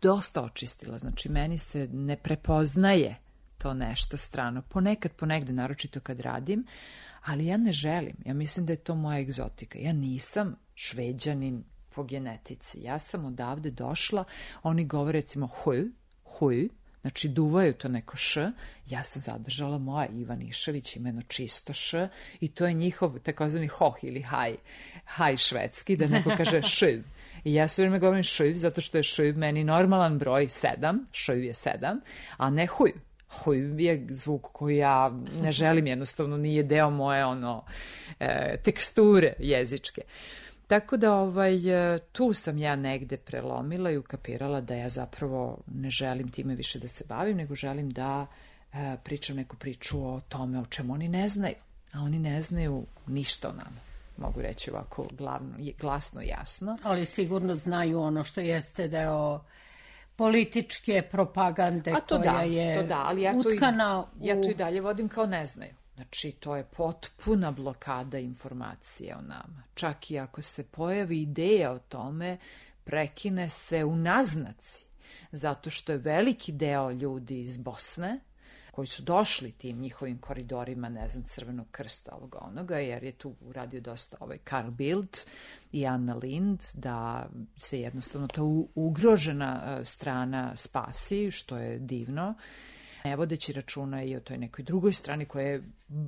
dosta očistila, znači meni se ne prepoznaje to nešto strano. Ponekad, ponegde, naročito kad radim, ali ja ne želim. Ja mislim da je to moja egzotika. Ja nisam Šveđanin po genetici. Ja sam odavde došla, oni govore recimo huj, huj, znači duvaju to neko š, ja sam zadržala moja Ivanišević, imeno čisto š, i to je njihov takozvani hoh ili haj, haj švedski, da neko kaže šiv. I ja sve vreme govorim šiv, zato što je šiv meni normalan broj sedam, šiv je sedam, a ne huj. Huj je zvuk koji ja ne želim, jednostavno nije deo moje ono e, teksture jezičke. Tako da ovaj, tu sam ja negde prelomila i ukapirala da ja zapravo ne želim time više da se bavim, nego želim da e, pričam neku priču o tome o čemu oni ne znaju. A oni ne znaju ništa o nama. Mogu reći ovako glavno, glasno i jasno. Ali sigurno znaju ono što jeste deo političke propagande koja da, je to da, ali ja utkana to i, u... Ja to i dalje vodim kao ne znaju. Znači, to je potpuna blokada informacije o nama. Čak i ako se pojavi ideja o tome, prekine se u naznaci. Zato što je veliki deo ljudi iz Bosne, koji su došli tim njihovim koridorima, ne znam, Crvenog krsta ovoga onoga, jer je tu uradio dosta ovaj Carl Bildt i Anna Lind, da se jednostavno ta ugrožena strana spasi, što je divno, ne vodeći računa i o toj nekoj drugoj strani koja je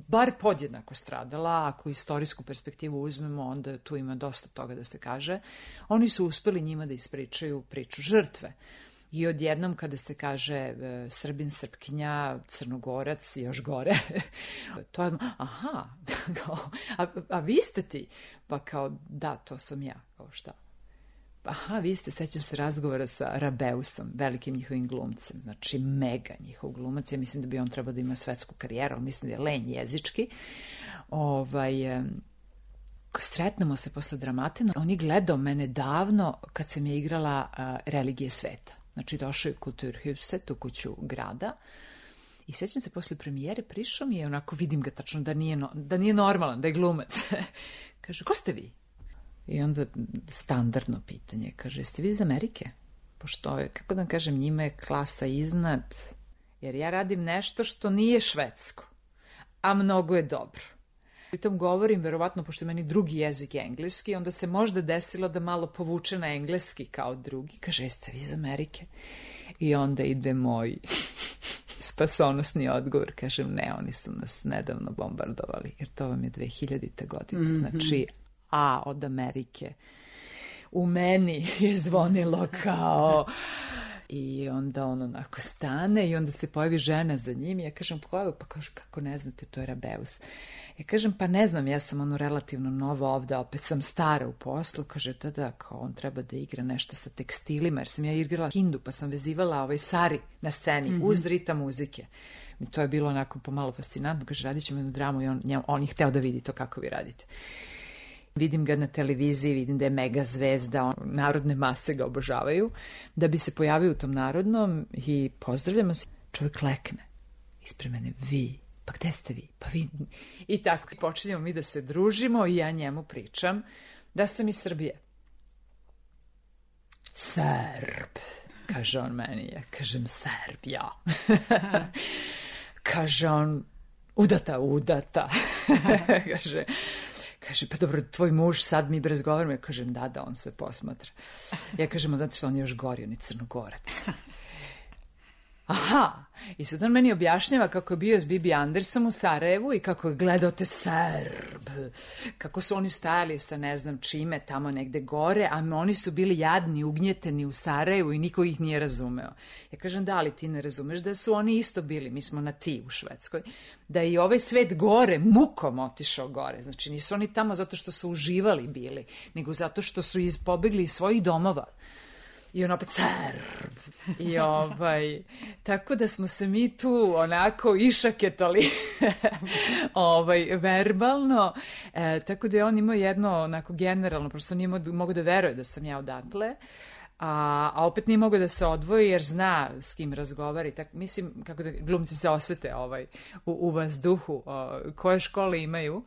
bar podjednako stradala. Ako istorijsku perspektivu uzmemo, onda tu ima dosta toga da se kaže. Oni su uspeli njima da ispričaju priču žrtve. I odjednom kada se kaže e, Srbin, Srpkinja, Crnogorac, još gore, to je, aha, a, a vi ste ti? Pa kao, da, to sam ja, kao šta? Aha, vi ste, sećam se razgovora sa Rabeusom, velikim njihovim glumcem, znači mega njihov glumac, ja mislim da bi on trebao da ima svetsku karijeru, ali mislim da je lenj jezički. Ovaj, sretnemo se posle Dramatena, on je gledao mene davno kad sam je igrala uh, Religije sveta. Znači, došao je u Kulturhuset, u kuću grada, i sećam se, posle premijere prišao mi je, onako vidim ga tačno da nije, no, da nije normalan, da je glumac. Kaže, ko ste vi? I onda standardno pitanje, kaže, jeste vi iz Amerike? Pošto je, kako da vam kažem, njima je klasa iznad, jer ja radim nešto što nije švedsko, a mnogo je dobro. Pritom govorim, verovatno, pošto je meni drugi jezik je engleski, onda se možda desilo da malo povuče na engleski kao drugi. Kaže, jeste vi iz Amerike? I onda ide moj spasonosni odgovor. Kažem, ne, oni su nas nedavno bombardovali, jer to vam je dve hiljadite godine. Mm-hmm. Znači, a od Amerike u meni je zvonilo kao I onda on onako stane i onda se pojavi žena za njim i ja kažem, pa, pa kaže, kako ne znate, to je Rabeus. Ja kažem, pa ne znam, ja sam ono relativno nova ovde, opet sam stara u poslu. Kaže, da, da, kao on treba da igra nešto sa tekstilima, jer sam ja igrala hindu, pa sam vezivala ovaj sari na sceni, mm-hmm. uz ritam muzike. I to je bilo onako pomalo fascinantno. Kaže, radit ćemo jednu dramu i on, on je hteo da vidi to kako vi radite. Vidim ga na televiziji, vidim da je mega zvezda, on, narodne mase ga obožavaju, da bi se pojavio u tom narodnom i pozdravljamo se. Čovjek lekne ispred mene, vi, pa gde ste vi? Pa vi... I tako počinjemo mi da se družimo i ja njemu pričam da sam iz Srbije. Serb, kaže on meni, ja kažem Serb, ja. Kaže on, udata, udata. Kaže... Kaže, pa dobro, tvoj muž, sad mi razgovaramo. Ja kažem, da, da, on sve posmatra. Ja kažem, znate što on je još gori, on je Crnogorac. Aha, i sad on meni objašnjava kako je bio s Bibi Andersom u Sarajevu i kako je gledao te Serb, kako su oni stajali sa ne znam čime tamo negde gore, a oni su bili jadni, ugnjeteni u Sarajevu i niko ih nije razumeo. Ja kažem, da, ali ti ne razumeš da su oni isto bili, mi smo na ti u Švedskoj, da je i ovaj svet gore, mukom otišao gore. Znači nisu oni tamo zato što su uživali bili, nego zato što su iz, pobegli iz svojih domova. I on opet Serb. I ovaj, tako da smo se mi tu onako išaketali ovaj, verbalno. E, tako da je on imao jedno onako generalno, prosto nije mogo da veruje da sam ja odatle. A, a opet nije mogo da se odvoji jer zna s kim razgovara. Tak, mislim, kako da glumci se osete ovaj, u, u vazduhu, o, koje škole imaju.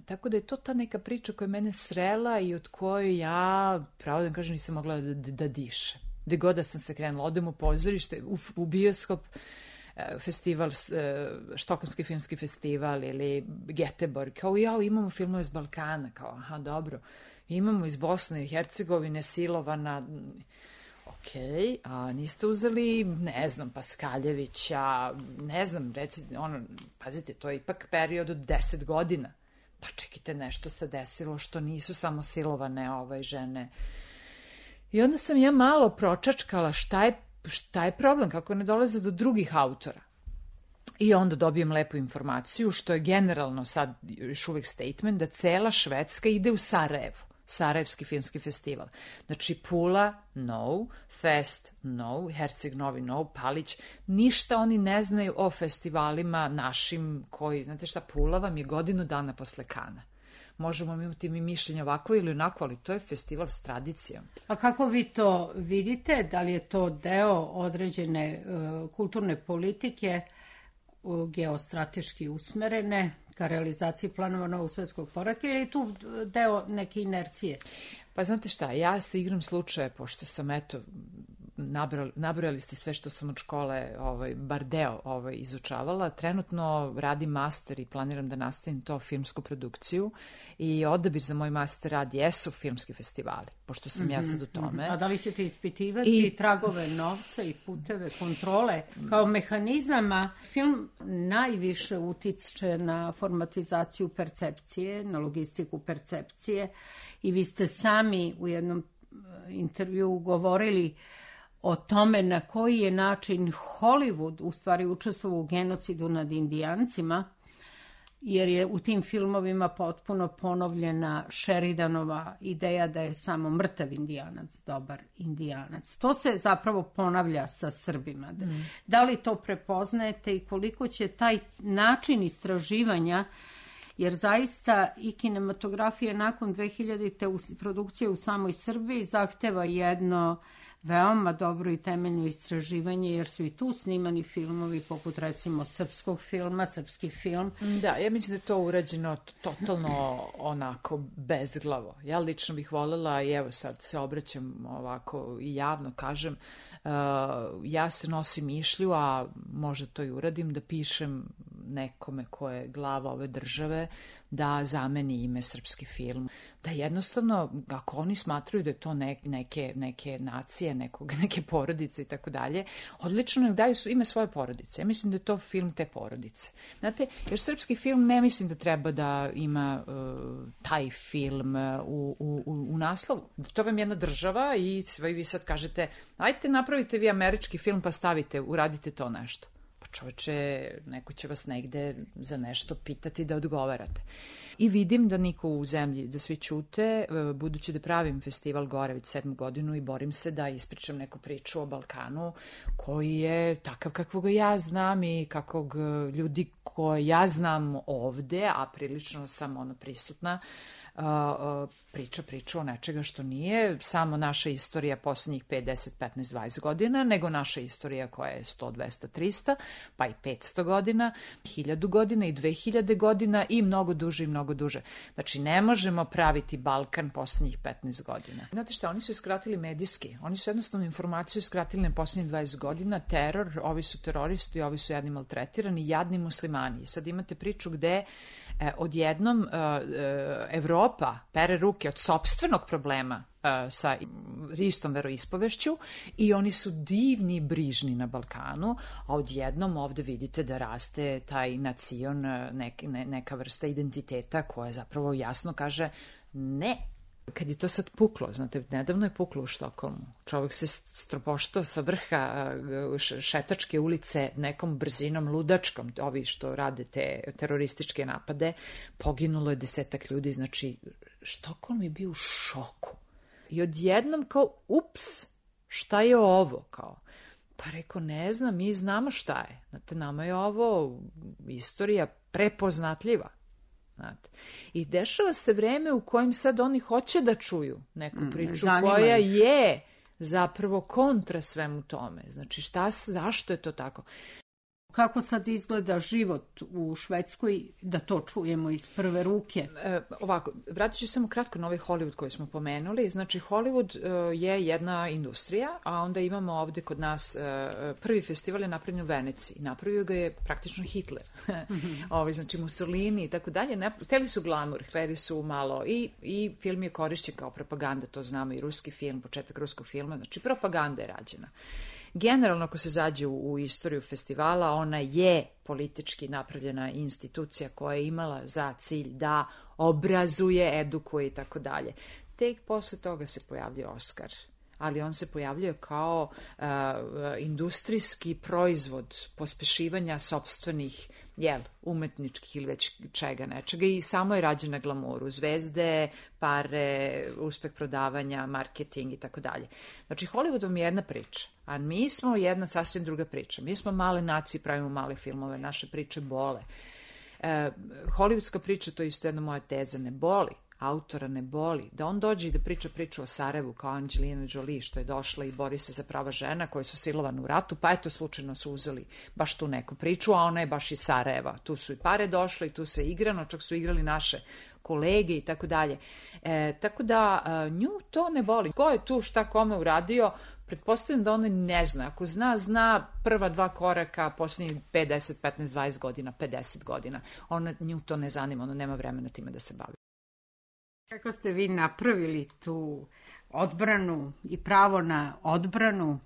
Tako da je to ta neka priča koja je mene srela i od koje ja, pravo da kažem, nisam mogla da, da, da dišem. Gde god da sam se krenula, odem u pozorište, u, u bioskop, festival, Štokholmski filmski festival ili Göteborg, kao ja, imamo filmove iz Balkana, kao aha, dobro. Imamo iz Bosne i Hercegovine silovana, ok, a niste uzeli, ne znam, Paskaljevića, ne znam, reci, ono, pazite, to je ipak period od deset godina. Pa čekajte, nešto se desilo što nisu samo silovane ove žene. I onda sam ja malo pročačkala šta je, šta je problem, kako ne dolaze do drugih autora. I onda dobijem lepu informaciju, što je generalno sad još uvijek statement, da cela Švedska ide u Sarajevo. Sarajevski filmski festival. Znači Pula, no, Fest, no, Herceg Novi, no, Palić, ništa oni ne znaju o festivalima našim koji, znate šta, Pula vam je godinu dana posle Kana. Možemo imati mi mišljenje ovako ili onako, ali to je festival s tradicijom. A kako vi to vidite? Da li je to deo određene uh, kulturne politike uh, geostrateški usmerene ka realizaciji planova novog svetskog poretka ili je tu deo neke inercije? Pa znate šta, ja se igram slučaje, pošto sam, eto, nabrali, nabrali ste sve što sam od škole, ovaj, bar deo ovaj, izučavala. Trenutno radim master i planiram da nastavim to filmsku produkciju i odabir za moj master rad jesu filmski festivali, pošto sam mm-hmm, ja sad u tome. A da li ćete ispitivati I... tragove novca i puteve kontrole kao mehanizama? Film najviše utiče na formatizaciju percepcije, na logistiku percepcije i vi ste sami u jednom intervjuu govorili o tome na koji je način Hollywood u stvari učestvovao u genocidu nad Indijancima, jer je u tim filmovima potpuno ponovljena Sheridanova ideja da je samo mrtav Indijanac dobar Indijanac. To se zapravo ponavlja sa Srbima. Mm. Da li to prepoznajete i koliko će taj način istraživanja, jer zaista i kinematografija nakon dve hiljadite produkcije u samoj Srbiji zahteva jedno veoma dobro i temeljno istraživanje, jer su i tu snimani filmovi poput recimo srpskog filma, srpski film. Da, ja mislim da je to urađeno totalno onako bezglavo. Ja lično bih voljela, i evo sad se obraćam ovako i javno kažem, uh, ja se nosim mišlju, a možda to i uradim, da pišem nekome ko je glava ove države da zameni ime srpski film. Da jednostavno, ako oni smatruju da je to ne, neke, neke nacije, nekog, neke porodice i tako dalje, odlično nek daju ime svoje porodice. Ja mislim da je to film te porodice. Znate, jer srpski film ne mislim da treba da ima uh, taj film u, u, u naslovu. To vam je jedna država i vi sad kažete, ajte napravite vi američki film pa stavite, uradite to nešto. Pa čoveče, neko će vas negde za nešto pitati da odgovarate. I vidim da niko u zemlji, da svi ćute, budući da pravim festival gore već sedmu godinu i borim se da ispričam neku priču o Balkanu koji je takav kakvog ja znam i kakvog ljudi koje ja znam ovde, a prilično sam ono prisutna, Uh, uh, priča priča o nečega što nije samo naša istorija poslednjih pet, deset, petnaest, dvadeset godina, nego naša istorija koja je sto, dvesta, trista, pa i petsto godina, hiljadu godina i dve hiljade godina i mnogo duže i mnogo duže. Znači, ne možemo praviti Balkan poslednjih petnaest godina. Znate šta, oni su iskratili medijski, oni su jednostavno informaciju iskratili na poslednjih dvadeset godina, teror, ovi su teroristi, ovi su jadni maltretirani, jadni muslimani. Sad imate priču gde E, odjednom uh, uh, Evropa pere ruke od sopstvenog problema uh, sa istom veroispovešću i oni su divni i brižni na Balkanu, a odjednom ovde vidite da raste taj nacion, nek, ne, neka vrsta identiteta koja zapravo jasno kaže ne. Kad je to sad puklo, znate, nedavno je puklo u Štokholmu. Čovjek se stropoštao sa vrha šetačke ulice nekom brzinom ludačkom, ovi što rade te terorističke napade, poginulo je desetak ljudi, znači Štokholm je bio u šoku. I odjednom kao, ups, šta je ovo, kao? Pa rekao, ne znam, mi znamo šta je. Znate, nama je ovo istorija prepoznatljiva. Znate. I dešava se vreme u kojem sad oni hoće da čuju neku priču mm, koja je zapravo kontra svemu tome. Znači, šta, zašto je to tako? Kako sad izgleda život u Švedskoj, da to čujemo iz prve ruke? E, ovako, vratit ću samo kratko na ovaj Hollywood koji smo pomenuli. Znači, Hollywood e, je jedna industrija, a onda imamo ovde kod nas e, prvi festival je napravljen u Veneciji. Napravio ga je praktično Hitler. Mm-hmm. Ovi, znači, Mussolini i tako dalje. Hteli su glamur, hteli su malo i, i film je korišćen kao propaganda, to znamo, i ruski film, početak ruskog filma, znači propaganda je rađena. Generalno, ako se zađe u, u istoriju festivala, ona je politički napravljena institucija koja je imala za cilj da obrazuje, edukuje i tako dalje. Tek posle toga se pojavljuje Oskar, ali on se pojavljuje kao uh, industrijski proizvod pospešivanja sopstvenih, jel, umetničkih ili već čega nečega i samo je rađen na glamuru, zvezde, pare, uspeh prodavanja, marketing i tako dalje. Znači, Hollywood vam je jedna priča, a mi smo jedna sasvim druga priča. Mi smo male nacije, pravimo male filmove, naše priče bole. E, Hollywoodska priča, to je isto jedna moja teza, ne boli. Autora ne boli, da on dođe i da priča priču o Sarajevu kao Angelina Jolie što je došla i bori se za prava žena koje su silovane u ratu, pa eto slučajno su uzeli baš tu neku priču, a ona je baš iz Sarajeva. Tu su i pare došle i tu se igrano, čak su igrali naše kolege i tako dalje. E, tako da nju to ne boli. Ko je tu šta kome uradio, pretpostavljam da ona ne zna. Ako zna, zna prva dva koraka posljednjih pet, deset, petnaest, dvadeset godina, pedeset godina. Ona, nju to ne zanima, ona nema vremena time da se bavi. Kako ste vi napravili tu odbranu i pravo na odbranu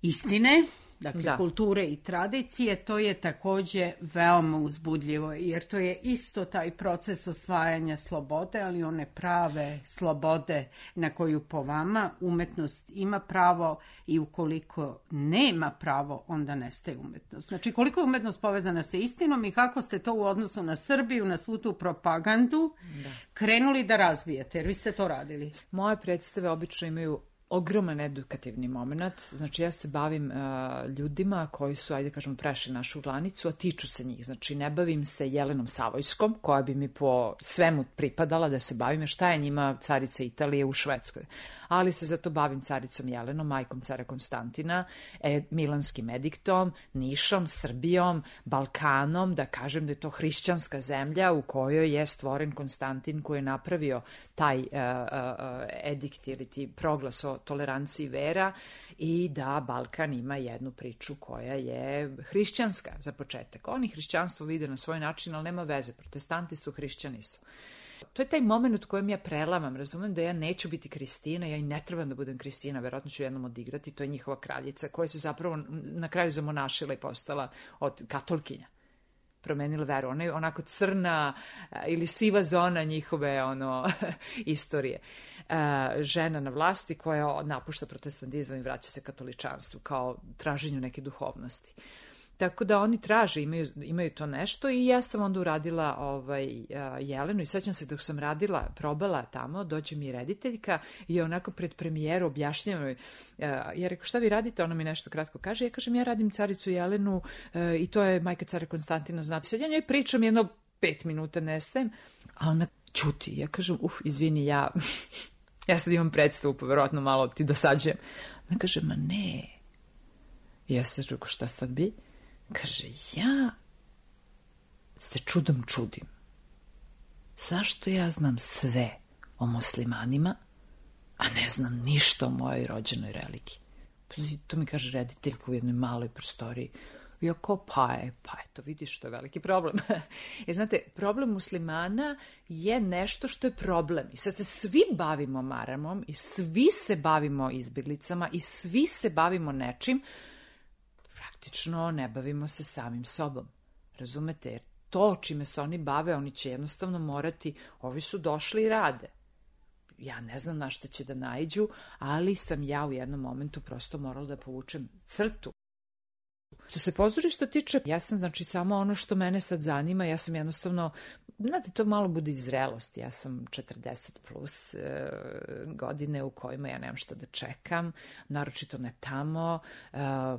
istine, dakle da. Kulture i tradicije, to je takođe veoma uzbudljivo, jer to je isto taj proces osvajanja slobode, ali one prave slobode na koju po vama umetnost ima pravo i ukoliko nema pravo, onda nestaje umetnost. Znači, koliko je umetnost povezana sa istinom i kako ste to u odnosu na Srbiju, na svu tu propagandu da. Krenuli da razvijete, jer vi ste to radili. Moje predstave obično imaju ogroman edukativni moment, znači ja se bavim uh, ljudima koji su, ajde kažemo, prešli našu granicu, a tiču se njih, znači ne bavim se Jelenom Savojskom, koja bi mi po svemu pripadala da se bavim, šta je njima carica Italije u Švedskoj, ali se zato bavim caricom Jelenom, majkom cara Konstantina, e, Milanskim ediktom, Nišom, Srbijom, Balkanom, da kažem da je to hrišćanska zemlja u kojoj je stvoren Konstantin koji je napravio taj uh, uh, edikt ili ti proglas o o toleranciji vera i da Balkan ima jednu priču koja je hrišćanska za početak. Oni hrišćanstvo vide na svoj način, ali nema veze. Protestanti su, hrišćani su. To je taj moment u kojem ja prelamam, razumem da ja neću biti Kristina, ja i ne trebam da budem Kristina, verovatno ću jednom odigrati, to je njihova kraljica koja se zapravo na kraju zamonašila i postala od katolkinja. Promenila veru. Ona je onako crna ili siva zona njihove ono, istorije. Žena na vlasti koja napušta protestantizam i vraća se katoličanstvu kao traženju neke duhovnosti. Tako da oni traže, imaju, imaju to nešto i ja sam onda uradila ovaj, Jelenu i sećam se dok sam radila, probala tamo, dođe mi rediteljka i onako pred premijeru objašnjava mi, ja rekao šta vi radite, ona mi nešto kratko kaže, ja kažem ja radim caricu Jelenu i to je majka cara Konstantina, znate, sad ja njoj pričam jedno pet minuta nestajem, a ona ćuti, ja kažem uf, izvini, ja, ja sad imam predstavu, pa verovatno malo ti dosađujem. Ona kaže, ma ne, ja se rekao šta sad bi? Kaže, ja se čudom čudim. Zašto ja znam sve o muslimanima, a ne znam ništa o mojoj rođenoj religiji? To mi kaže rediteljka u jednoj maloj prostoriji. Ja kao, pa je, pa eto, vidiš, to je veliki problem. Jer znate, problem muslimana je nešto što je problem. I sad se svi bavimo maramom i svi se bavimo izbjeglicama i svi se bavimo nečim, praktično ne bavimo se samim sobom. Razumete? Jer to čime se oni bave, oni će jednostavno morati, ovi su došli i rade. Ja ne znam na šta će da naiđu, ali sam ja u jednom momentu prosto morala da povučem crtu. Što se pozorišta tiče, ja sam znači samo ono što mene sad zanima, ja sam jednostavno, znate, to malo bude iz zrelosti, ja sam četrdeset plus e, godine u kojima ja nemam šta da čekam, naročito ne tamo, e,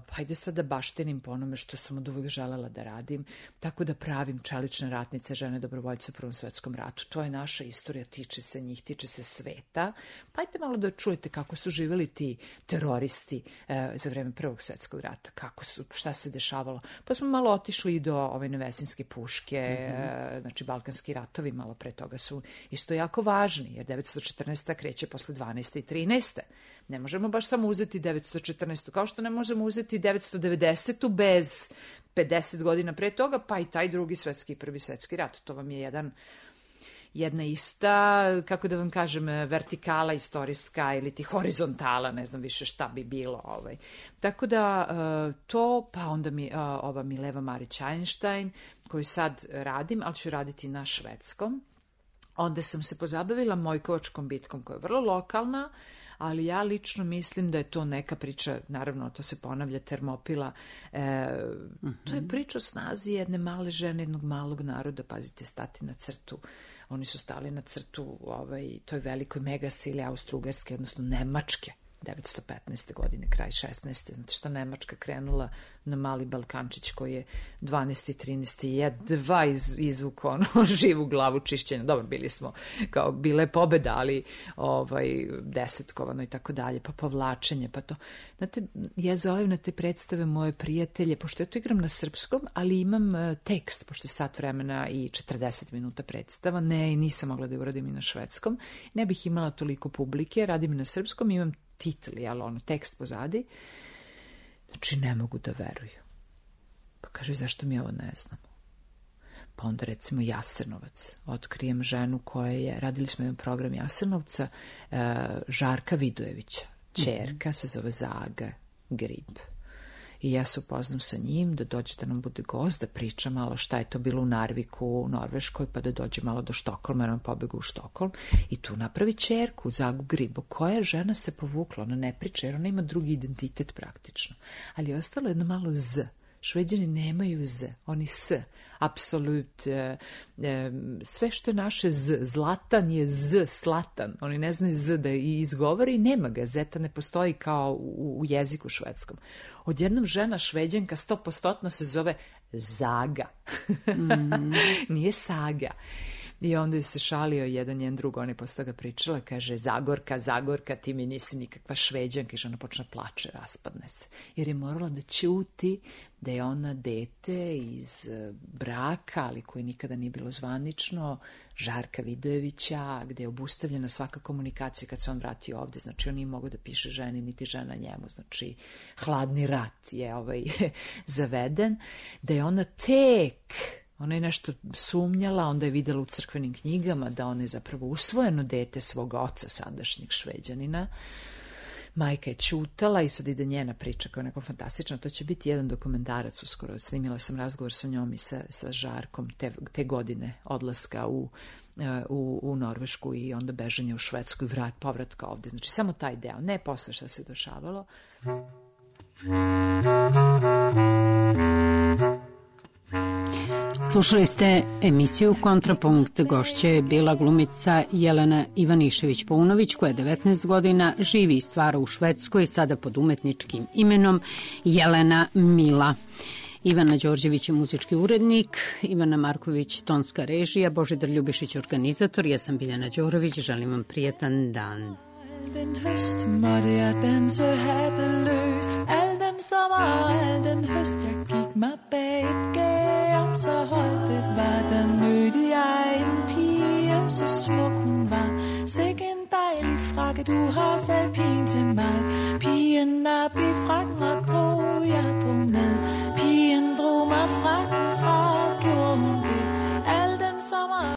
hajde sad da baštenim po onome što sam od uvijek želela da radim, tako da pravim čelične ratnice, žene dobrovoljce u Prvom svetskom ratu, to je naša istorija, tiče se njih, tiče se sveta, pa hajde malo da čujete kako su živjeli ti teroristi e, za vreme Prvog svetskog rata, kako su, šta se dešavalo. Pa smo malo otišli i do ove Nevesinske puške, mm-hmm. znači Balkanski ratovi malo pre toga su isto jako važni, jer devetsto četrnaesta kreće posle dvanaeste i trinaeste. Ne možemo baš samo uzeti devetsto četrnaestu, kao što ne možemo uzeti devetsto devedesetu bez pedeset godina pre toga, pa i taj drugi svetski i prvi svetski rat. To vam je jedan jedna ista, kako da vam kažem, vertikala istorijska ili ti horizontala, ne znam više šta bi bilo. Ovaj. Tako da to, pa onda mi ova Mileva Marić-Einstein, koju sad radim, ali ću raditi na švedskom. Onda sam se pozabavila Mojkovačkom bitkom, koja je vrlo lokalna, ali ja lično mislim da je to neka priča, naravno to se ponavlja, Termopila, e, mm-hmm. to je priča o snazi jedne male žene, jednog malog naroda, pazite, stati na crtu. Oni su stali na crtu ovaj, toj velikoj megasili Austro-Ugarske, odnosno Nemačke, devetsto petnaeste godine, kraj šesnaeste. Znate šta, Nemačka krenula na mali Balkančić koji je dvanaeste i trinaeste jedva iz, izvuko ono, živu glavu čišćenja. Dobro, bili smo, kao, bile je pobeda, ali ovaj, desetkovano i tako dalje, pa povlačenje, pa to. Znate, ja zovem na te predstave moje prijatelje, pošto ja to igram na srpskom, ali imam uh, tekst, pošto je sat vremena i četrdeset minuta predstava, ne, nisam mogla da je uradim i na švedskom, ne bih imala toliko publike, radim na srpskom, imam titl, ali ono, tekst pozadi. Znači, ne mogu da veruju. Pa kaže, zašto mi ovo ne znamo? Pa onda, recimo, Jasenovac. Otkrijem ženu koja je, radili smo jedan program Jasenovca, Žarka Vidojevića. Ćerka se zove Zaga Grib. I ja se upoznam sa njim, da dođe da nam bude gost, da priča malo šta je to bilo u Narviku, u Norveškoj, pa da dođe malo do Štokholma, jer on pobegu u Štokholm. I tu napravi ćerku, Zagu Gribo, koja žena se povukla, ona ne priča, jer ona ima drugi identitet praktično. Ali je ostalo jedno malo z. Šveđani nemaju z, oni s, apsolut, e, e, sve što je naše z, zlatan je z, slatan, oni ne znaju z da i izgovori i nema ga, zeta ne postoji kao u, u jeziku švedskom. Odjednom žena Šveđanka sto posto se zove Zaga, mm-hmm. nije Saga. I onda je se šalio jedan njen drug, on je posle toga pričala, kaže, Zagorka, Zagorka, ti mi nisi nikakva Šveđanka, i žena počne plače, raspadne se. Jer je morala da ćuti da je ona dete iz braka, ali koji nikada nije bilo zvanično, Žarka Vidojevića, gde je obustavljena svaka komunikacija kad se on vratio ovde. Znači, on nije mogao da piše ženi, niti žena njemu. Znači, hladni rat je ovaj zaveden. Da je ona tek... Ona je nešto sumnjala, onda je videla u crkvenim knjigama da ona je zapravo usvojeno dete svog oca, sadašnjeg Šveđanina. Majka je ćutala i sad ide njena priča koja je neko fantastična. To će biti jedan dokumentarac uskoro. Snimila sam razgovor sa njom i sa, sa Žarkom te, te godine odlaska u, u, u Norvešku i onda bežanje u Švedsku i vrat, povratka ovde. Znači samo taj deo, ne posle šta se dešavalo. Slušali ste emisiju Kontrapunkt. Gošća je bila glumica Jelena Ivanišević-Paunović, koja je devetnaest godina, živi i stvara u Švedskoj, sada pod umetničkim imenom Jelena Mila. Ivana Đorđević je muzički urednik, Ivana Marković tonska režija, Božidar Ljubišić organizator, ja sam Biljana Đorović, želim vam prijetan dan. Den høst måtte jeg danse hatteløs. Al den sommer og al den høst jeg gik mig bag et gær. Så holdt det var, der mødte jeg en pige, så smuk hun var. Sikke en dejlig frakke, du har, sagde pigen til mig. Pigen op i frakken og drog, jeg drog